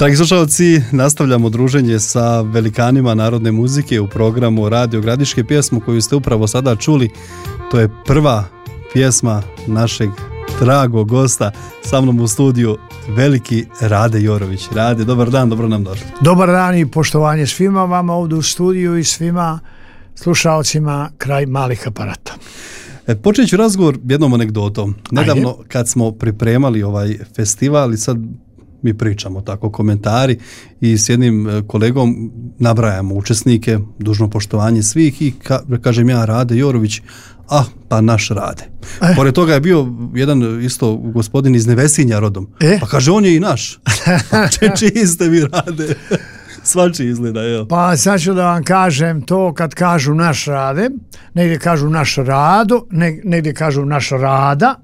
Dragi slušalci, nastavljamo druženje sa velikanima narodne muzike u programu Radio Gradiške. Pjesmu koju ste upravo sada čuli, to je prva pjesma našeg dragog gosta sa mnom u studiju, veliki Rade Jorović. Rade, dobar dan, dobro nam došli. Dobar dan i poštovanje svima vama ovdje u studiju i svima slušalcima kraj malih aparata. Počet ću razgovor jednom anegdotom. Nedavno kad smo pripremali ovaj festival i sad mi pričamo tako komentari i s jednim kolegom nabrajamo učesnike, dužno poštovanje svih i kažem ja Rade Jorović, pa naš Rade. Pored toga je bio jedan isto gospodin iz Nevesinja rodom. Pa kaže on je i naš. Čiji ste vi Rade? Svačiji izgleda, evo. Pa sad ću da vam kažem to kad kažu naš Rade, negdje kažu naš Rado, negdje kažu naš Rada.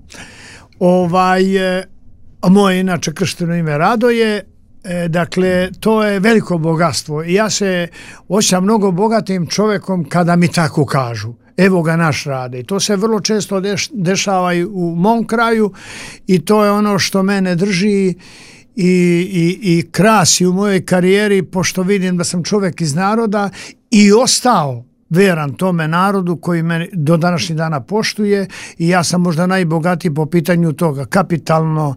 Moje inače kršteno ime Rado je, dakle, to je veliko bogatstvo i ja se osjećam mnogo bogatim čovjekom kada mi tako kažu. Evo ga naš Rade. I to se vrlo često dešava i u mom kraju i to je ono što mene drži i krasi u mojoj karijeri, pošto vidim da sam čovjek iz naroda i ostao veran tome narodu koji me do današnjih dana poštuje i ja sam možda najbogatiji po pitanju toga. Kapitalno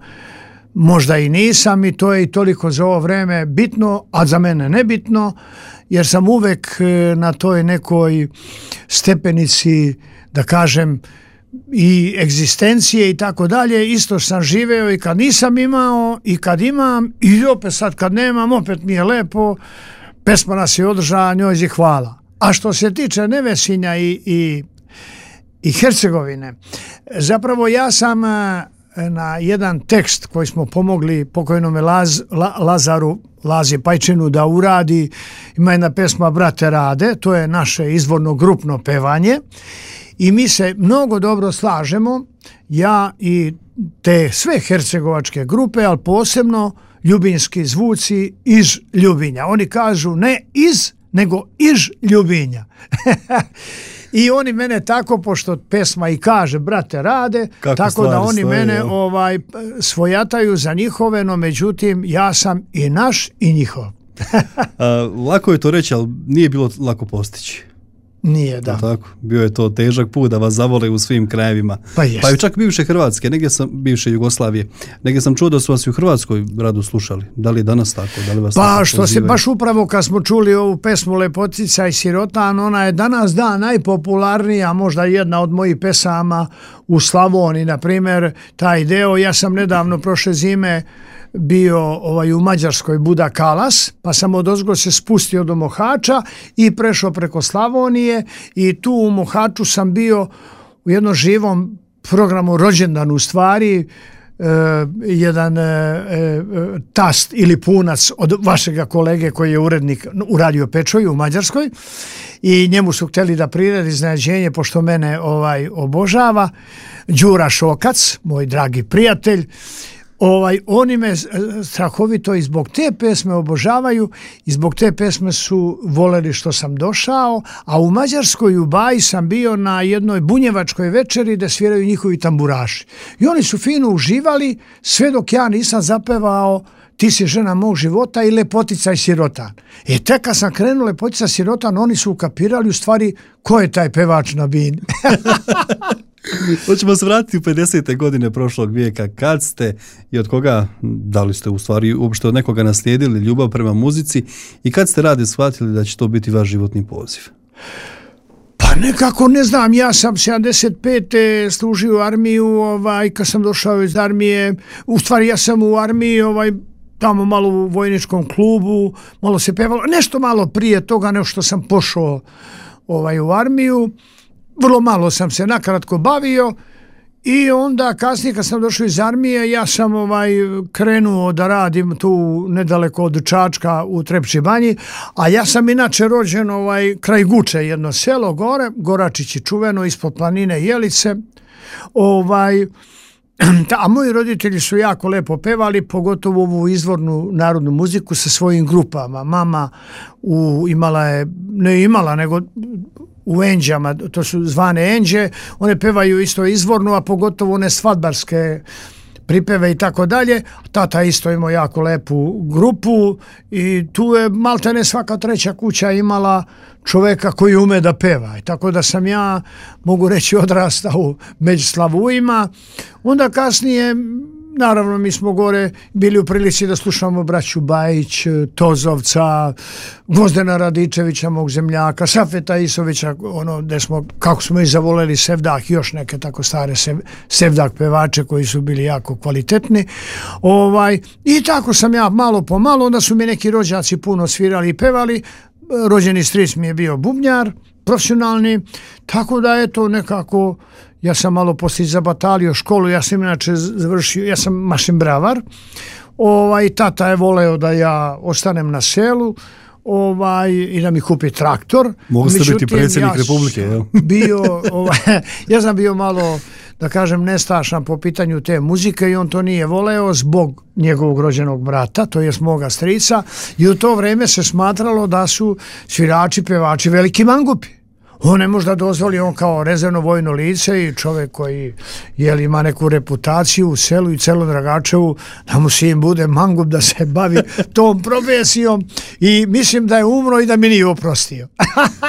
možda i nisam i to je i toliko za ovo vreme bitno, a za mene nebitno, jer sam uvek na toj nekoj stepenici, da kažem, i egzistencije i tako dalje, isto sam živeo i kad nisam imao i kad imam i opet sad kad nemam, opet mi je lepo, pesma nas je održala, njoj hvala. A što se tiče Nevesinja i Hercegovine, zapravo ja sam na jedan tekst koji smo pomogli pokojnome Lazi Pajčinu da uradi, ima jedna pesma Brate Rade, to je naše izvorno grupno pevanje i mi se mnogo dobro slažemo, ja i te sve hercegovačke grupe, ali posebno ljubinski zvuci iz Ljubinja. Oni kažu ne iz, nego iz Ljubinja. I oni mene tako, pošto pesma i kaže Brate Rade, kako tako da oni mene svojataju za njihove, no međutim ja sam i naš i njihov. Lako je to reći, ali nije bilo lako postići. Nije, da. Tako, bio je to težak put da vas zavole u svim krajevima. Pa i čak bivše Hrvatske, negdje sam bivše Jugoslavije. Negdje sam čuo da su vas i u Hrvatskoj rado slušali. Da li je danas tako? Da li vas pa što se baš upravo kad smo čuli ovu pesmu Lepotica i sirotan, ona je danas najpopularnija, možda jedna od mojih pesama u Slavoniji, na primjer, taj deo. Ja sam nedavno prošle zime bio u Mađarskoj Buda Kalas, pa sam odozgo se spustio do Mohača i prešao preko Slavonije i tu u Mohaču sam bio u jednom živom programu rođendan, u stvari jedan tast ili punac od vašega kolege koji je urednik u Radio Pečoju u Mađarskoj i njemu su htjeli da priredi iznenađenje, pošto mene obožava, Đura Šokac, moj dragi prijatelj. Oni me strahovito i zbog te pesme obožavaju i zbog te pesme su voleli što sam došao, a u Mađarskoj u Baji sam bio na jednoj bunjevačkoj večeri da sviraju njihovi tamburaši. I oni su fino uživali sve dok ja nisam zapevao Ti si žena mog života i Lepotica i sirotan. I tek kad sam krenuo Lepotica i sirotan, oni su ukapirali u stvari ko je taj pevač na bini. Hoćemo se vratiti u 50. godine prošlog vijeka. Kad ste i od koga, da li ste u stvari uopšte od nekoga naslijedili ljubav prema muzici i kad ste Rade shvatili da će to biti vaš životni poziv? Pa nekako ne znam, ja sam 75. služio u armiju, kad sam došao iz armije, u stvari ja sam u armiji, tamo malo u vojničkom klubu, malo se pevalo, nešto malo prije toga nego što sam pošao u armiju. Vrlo malo sam se nakratko bavio i onda kasnije kad sam došao iz armije ja sam krenuo da radim tu nedaleko od Čačka u Trepči banji, a ja sam inače rođen kraj Guče, jedno selo gore, Goračići čuveno, ispod planine Jelice. A moji roditelji su jako lepo pevali, pogotovo ovu izvornu narodnu muziku sa svojim grupama. Mama nego u Enđama, to su zvane Enđe, one pevaju isto izvornu, a pogotovo one svadbarske pripeve i tako dalje. Tata isto imao jako lepu grupu i tu je maltene svaka treća kuća imala čoveka koji ume da peva. I tako da sam ja, mogu reći, odrastao među slavujima. Onda kasnije, naravno, mi smo gore bili u prilici da slušamo braću Bajić, Tozovca, Gvozdena Radičevića, mog zemljaka, Safeta Isovića, ono gde smo, kako smo i zavoleli Sevdah, još neke tako stare Sevdah pevače koji su bili jako kvalitetni. I tako sam ja malo po malo, onda su mi neki rođaci puno svirali i pevali. Rođeni stric mi je bio bubnjar, profesionalni, tako da eto nekako ja sam malo poslije zabatalio školu, ja sam inače završio, ja sam mašinbravar, tata je voleo da ja ostanem na selu, i da mi kupi traktor. Mogu ste biti predsjednik Republike, jel? Ja sam bio malo, da kažem, nestašan po pitanju te muzike i on to nije voleo zbog njegovog rođenog brata, to jest moga strica, i u to vrijeme se smatralo da su svirači, pevači veliki mangupi. On ne može da dozvoli, on kao rezervno vojno lice i čovjek koji ima neku reputaciju u selu i celo Dragačevu, da mu sin bude mangup da se bavi tom profesijom i mislim da je umro i da mi nije oprostio.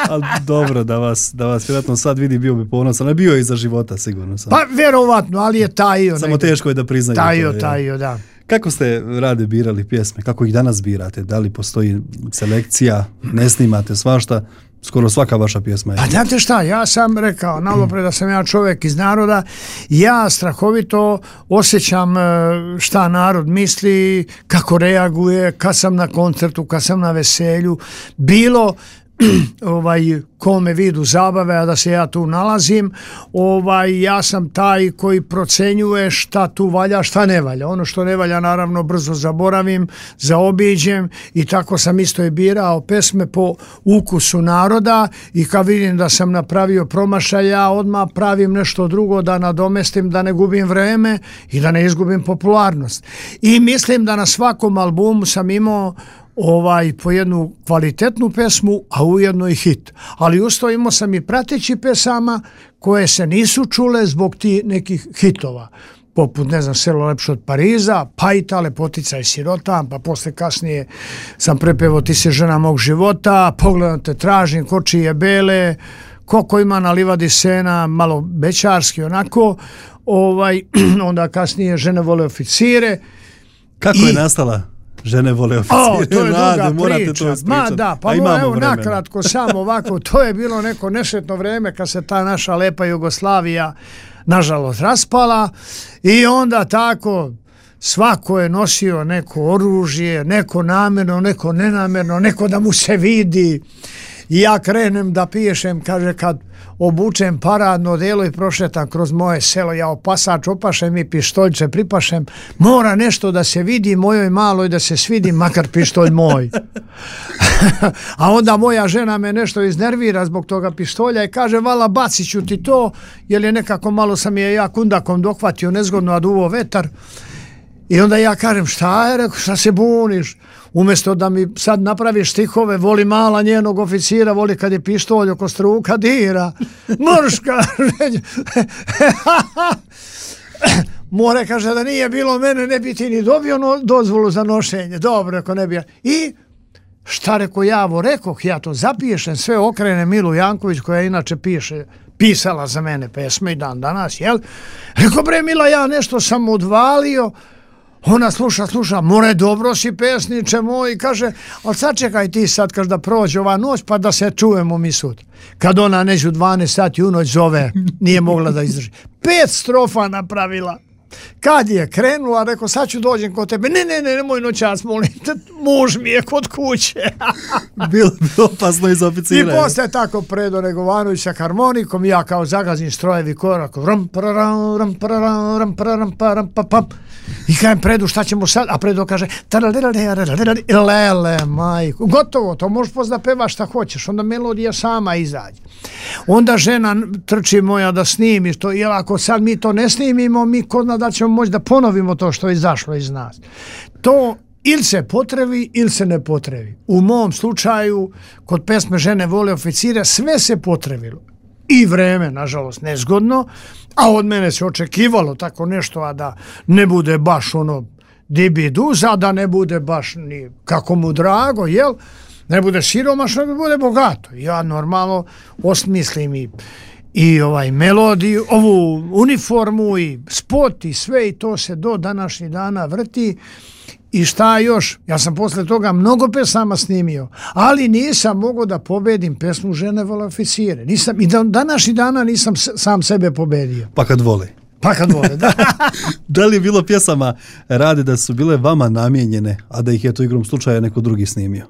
Ali dobro, da vas vjerojatno sad vidi, bio bi ponosan, ali bio je i za života sigurno. Sam. Pa vjerovatno, ali je tajio. Samo teško je da priznaju. Tajio, da. Kako ste, Rade, birali pjesme? Kako ih danas birate? Da li postoji selekcija? Ne snimate svašta? Skoro svaka vaša pjesma je. Pa znate šta, ja sam rekao nalopre da sam ja čovjek iz naroda, ja strahovito osjećam šta narod misli, kako reaguje, kad sam na koncertu, kad sam na veselju, bilo kome vidu zabave, a da se ja tu nalazim, ja sam taj koji procenjuje šta tu valja, šta ne valja. Ono što ne valja naravno brzo zaboravim, zaobiđem i tako sam isto i birao pesme po ukusu naroda i kad vidim da sam napravio promašaj, ja odmah pravim nešto drugo da nadomestim, da ne gubim vreme i da ne izgubim popularnost. I mislim da na svakom albumu sam imao po jednu kvalitetnu pesmu, a ujedno i hit. Ali usto imao sam i prateći pesama koje se nisu čule zbog ti nekih hitova. Poput, ne znam, Selo lepše od Pariza, Pajta, Lepotica i sirota, pa posle kasnije sam prepevao Ti si žena mog života, Pogledam te tražim, Kočije bele, Koliko ima na livadi sena, malo bećarski onako, onda kasnije Žene vole oficire. Kako je nastala Žene vole oficire? To je druga priča. Pa evo nakratko samo ovako, to je bilo neko nešetno vreme kad se ta naša lepa Jugoslavija nažalost raspala i onda tako svako je nosio neko oružje, neko namjerno, neko nenamjerno, neko da mu se vidi. I ja krenem da pišem, kaže, kad obučem paradno delo i prošetam kroz moje selo, ja opasač opašem i pištoljče pripašem, mora nešto da se vidi mojoj maloj, da se svidi, makar pištolj moj. A onda moja žena me nešto iznervira zbog toga pištolja i kaže, vala, bacit ću ti to, jer je nekako malo sam je ja kundakom dohvatio nezgodno, a duvo vetar. I onda ja kažem, šta je, rekao, šta se buniš? Umjesto da mi sad napraviš stihove, voli mala njenog oficira, voli kad je pištolj oko struka dira. Mrška! More kaže da nije bilo mene, ne bi ti ni dobio dozvolu za nošenje. Dobro, ako ne bi. I šta reko javo, rekoh, ja to zapišem, sve okrene Milu Janković koja inače pisala za mene pesme i dan danas, jel? Reko, bre Mila, ja nešto sam odvalio. Ona sluša, more, dobro si pesniče moj, kaže, ali sad čekaj ti sad, kaže, da prođe ova noć, pa da se čujemo mi sutra. Kad ona neđu 12 sati u noć zove, nije mogla da izdrži. 5 strofa napravila. Kad je krenula, rekao, sad ću dođem kod tebe. Ne, nemoj noćas, molim te, muž mi je kod kuće. Bilo opasno iz oficira. I posle tako Predo Negovanović sa harmonikom, ja kao zagazim strojevi korak, i kajem Predu, šta ćemo sad? A Predo kaže, lele, majko, gotovo, to možeš da pevaš šta hoćeš, onda melodija sama izađe. Onda žena trči moja da snimi to, jer ako sad mi to ne snimimo, mi ko zna da ćemo moći da ponovimo to što je izašlo iz nas. To ili se potrebi ili se ne potrebi. U mom slučaju, kod pesme Žene vole oficire, sve se potrebilo. i vreme, nažalost, nezgodno, a od mene se očekivalo tako nešto, a da ne bude baš ono dibiduza, da ne bude baš ni kako mu drago, jel? Ne bude siromašno, da bude bogato. Ja normalno osmislim i melodiju, ovu uniformu i spot i sve i to se do današnjih dana vrti. I šta još? Ja sam posle toga mnogo pesama snimio, ali nisam mogao da pobedim pesmu Žene vole oficire. I do današnjih dana nisam sam sebe pobedio. Pa kad vole. Pa kad vole, da. Da li je bilo pjesama Rade da su bile vama namijenjene, a da ih je to igrom slučaja neko drugi snimio?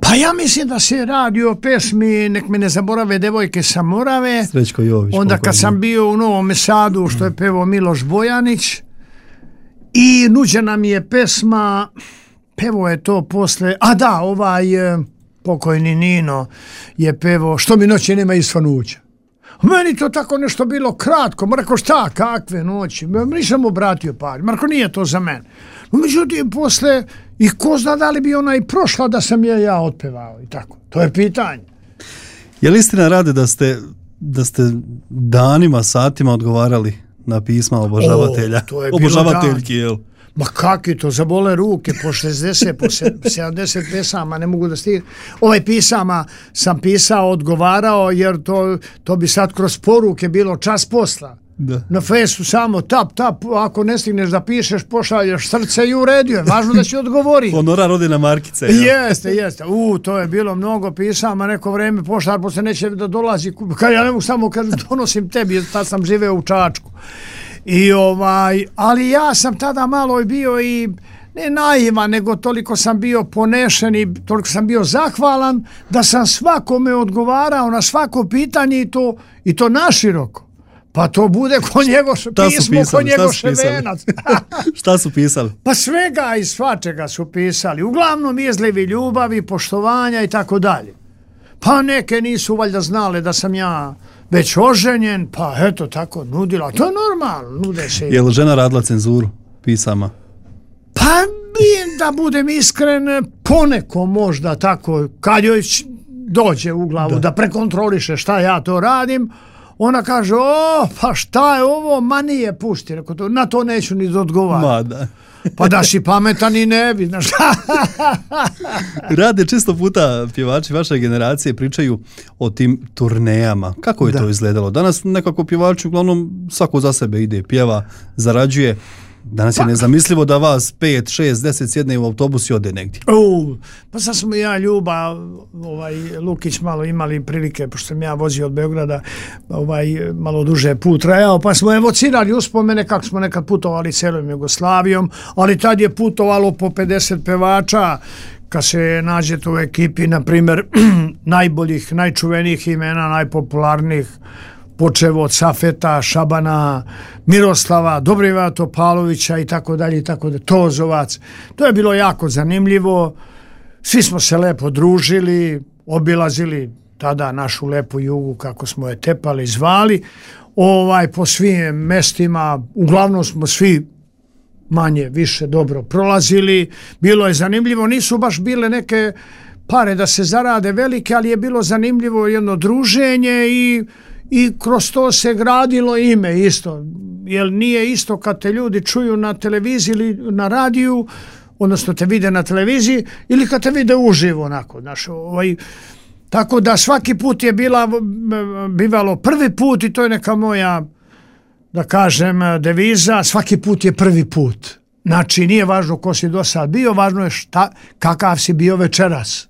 Pa ja mislim da se radi o pesmi Nek me ne zaborave devojke sa Morave. Srećko Jović. Onda kad sam bio u Novom Sadu, što je pevao Miloš Bojanić, i nuđena mi je pesma, pevao je to posle, pokojni Nino je pevao Što mi noći nema isfanuća. Meni to tako nešto bilo kratko, rekao šta, kakve noći, nisam obratio pažnju, Marko nije to za mene. No, međutim, posle, i ko zna da li bi ona i prošla da sam ja otpevao i tako, to je pitanje. Je li istina, Rade, da ste danima, satima odgovarali na pisma obožavatelja? To je obožavateljki, jel? Ma kakvi to, zabole ruke, po 60, po 70 pesama, ne mogu da stignem. Pisama sam pisao, odgovarao, jer to bi sad kroz poruke bilo čas posla. Da. Na Facebooku samo tap, ako ne stigneš da pišeš, pošalješ srce i u redu je, važno da će odgovori. Honorar ode na markice. Jeste. To je bilo mnogo pisama, neko vreme poštar, posle neće da dolazi, ja ne mogu samo kad donosim tebi, tad sam živeo u Čačku. Ali ja sam tada malo bio i ne naivan, nego toliko sam bio ponešen i toliko sam bio zahvalan da sam svakome odgovarao na svako pitanje i to naširoko. Pa to bude ko njegov pismo, ko njegov ševenac. Šta su pisali? Pa svega i svačega su pisali. Uglavnom izlivi ljubavi, poštovanja i tako dalje. Pa neke nisu valjda znale da sam ja već oženjen, pa eto tako nudila. To je normalno, nude se. Je li žena radila cenzuru pisama? Pa da budem iskren, poneko možda tako, kad joj dođe u glavu da prekontroliše šta ja to radim, ona kaže, pa šta je ovo, ma nije, pusti, na to neću ni odgovarati. Pa da si pametan i ne bi, znaš. Rade, često puta pjevači vaše generacije pričaju o tim turnejama. Kako je to izgledalo? Danas nekako pjevači uglavnom svako za sebe ide, pjeva, zarađuje. Danas je nezamislivo da vas 5, 6, 10 sjedne u autobus i ode negdje. Pa sad smo ja, Ljuba, Lukić malo imali prilike, pošto sam ja vozio od Beograda, malo duže put trajao, pa smo evocirali uspomene kako smo nekad putovali celom Jugoslavijom, ali tad je putovalo po 50 pevača, kad se nađete u ekipi, na primjer, najboljih, najčuvenijih imena, najpopularnijih, počevo od Safeta, Šabana, Miroslava, Dobrivoja Topalovića i tako dalje, Tozovac. To je bilo jako zanimljivo. Svi smo se lepo družili, obilazili tada našu lepu Jugu, kako smo je tepali, zvali. Po svim mestima, uglavnom smo svi manje, više dobro prolazili. Bilo je zanimljivo, nisu baš bile neke pare da se zarade velike, ali je bilo zanimljivo jedno druženje i kroz to se gradilo ime isto, jer nije isto kad te ljudi čuju na televiziji ili na radiju, odnosno te vide na televiziji ili kad te vide uživo onako, znaš, tako da svaki put je bivalo prvi put i to je neka moja, da kažem, deviza, svaki put je prvi put. Znači nije važno ko si do sad bio, važno je kakav si bio večeras.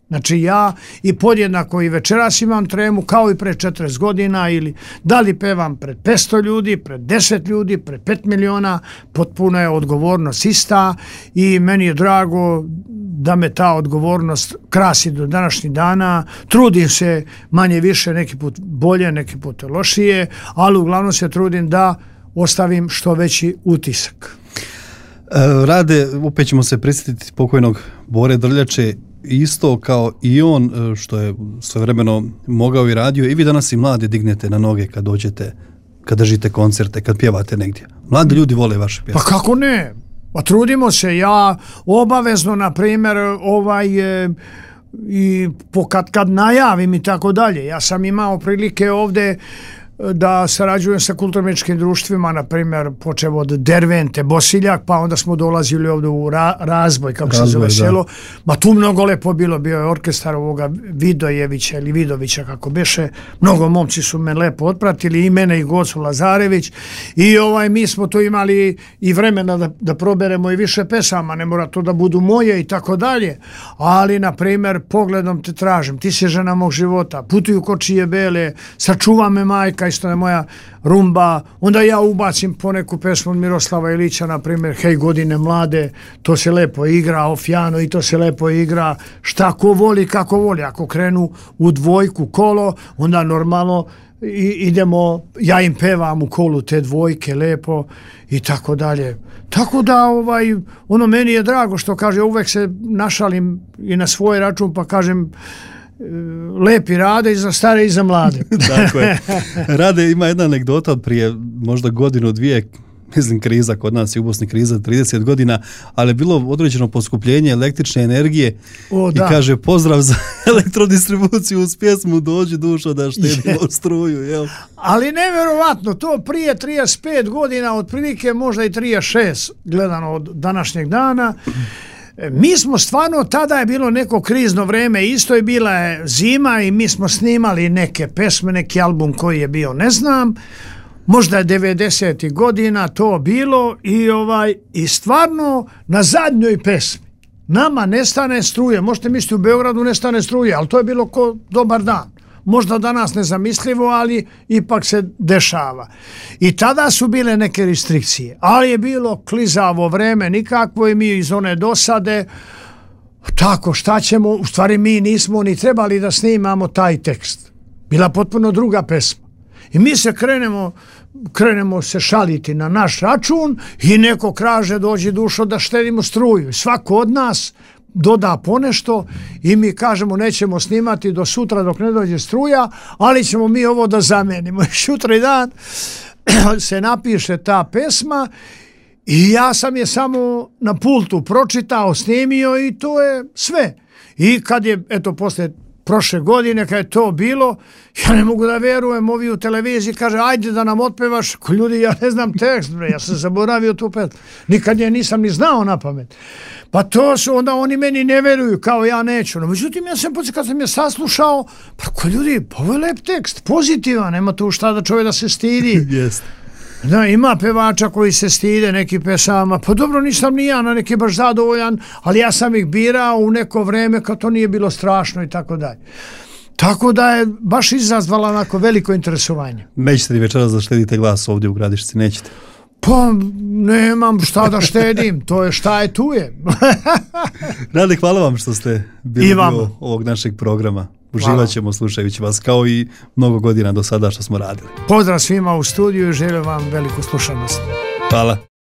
Znači ja i podjednako i večeras imam tremu kao i pre 40 godina ili da li pevam pred 500 ljudi, pred 10 ljudi, pred 5 miliona, potpuno je odgovornost ista i meni je drago da me ta odgovornost krasi do današnjih dana. Trudim se manje više, neki put bolje, neki put lošije, ali uglavnom se trudim da ostavim što veći utisak. Rade, opet ćemo se prisjetiti pokojnog Bore Drljače, isto kao i on što je svojevremeno mogao i radio, i vi danas i mladi dignete na noge kad dođete, kad držite koncerte, kad pjevate negdje. Mladi ljudi vole vaše pjesme. Pa kako ne? Pa trudimo se, ja obavezno, na primjer, i kad najavim i tako dalje. Ja sam imao prilike ovde da sarađujem sa kulturno-umjetničkim društvima, na primjer počev od Dervente, Bosiljak, pa onda smo dolazili ovdje u Razboj, kako se zove selo. Ma tu mnogo lepo bilo, bio je orkestar ovoga Vidojevića ili Vidovića, kako beše. Mnogo momci su me lepo otpratili, i mene i Gocu Lazarević, i mi smo tu imali i vremena da proberemo i više pesama, ne mora to da budu moje i tako dalje, ali na primjer Pogledom te tražim, Ti si žena mog života, Putuju kočije bele, Sačuva me majka, isto je moja rumba, onda ja ubacim poneku pesmu od Miroslava Ilića, na primjer Hej godine mlade, to se lepo igra, Ofjano, i to se lepo igra, šta ko voli, kako voli. Ako krenu u dvojku kolo, onda normalno idemo, ja im pevam u kolu te dvojke lepo i tako dalje. Tako da meni je drago što kaže, uvek se našalim i na svoj račun pa kažem lepi Rade i za stare i za mlade. Tako je. Rade ima jedna anegdota od prije možda godinu, dvije, mislim kriza kod nas je u Bosni kriza 30 godina, ali je bilo određeno poskupljenje električne energije i kaže pozdrav za elektrodistribuciju uz pjesmu Dođi dušo da štedimo struju. Jel? Ali nevjerovatno, to prije 35 godina, otprilike možda i 36 gledano od današnjeg dana. Mi smo stvarno, tada je bilo neko krizno vreme, isto je bila zima i mi smo snimali neke pesme, neki album koji je bio, ne znam, možda je 90. godina to bilo i stvarno na zadnjoj pesmi nama nestane struje. Možete misliti u Beogradu nestane struje, ali to je bilo ko dobar dan. Možda danas nezamislivo, ali ipak se dešava. I tada su bile neke restrikcije, ali je bilo klizavo vreme nikakvo i mi iz one dosade, tako šta ćemo, u stvari mi nismo ni trebali da snimamo taj tekst. Bila potpuno druga pesma. I mi se krenemo se šaliti na naš račun i neko kaže Dođi dušo da štedimo struju. Svako od nas doda ponešto i mi kažemo nećemo snimati do sutra dok ne dođe struja, ali ćemo mi ovo da zamenimo. I sutra dan se napiše ta pesma i ja sam je samo na pultu pročitao, snimio i to je sve. I kad je, poslije prošle godine, kad je to bilo, ja ne mogu da verujem, ovi u televiziji kaže, ajde da nam otpevaš, ljudi, ja ne znam tekst, ja sam zaboravio tu pesmu, nikad je nisam ni znao na pamet. Pa to su, onda oni meni ne veruju, kao ja neću. No, međutim, ja sam kad sam je saslušao, pa ljudi, ovo je lep tekst, pozitivan, nema tu šta da čovjek da se stidi. Jeste. Da, ima pevača koji se stide neki pesama, pa dobro, nisam ni ja na neki baš zadovoljan, ali ja sam ih birao u neko vreme kad to nije bilo strašno i tako dalje. Tako da je baš izazvala onako veliko interesovanje. Nećete li večeras da štedite glas ovdje u Gradišci, nećete? Pa nemam šta da štedim, to je šta je tu je. Rade, hvala vam što ste bili dio ovog našeg programa. Uživat ćemo slušajući vas kao i mnogo godina do sada što smo radili. Pozdrav svima u studiju i želim vam veliku slušanost. Hvala.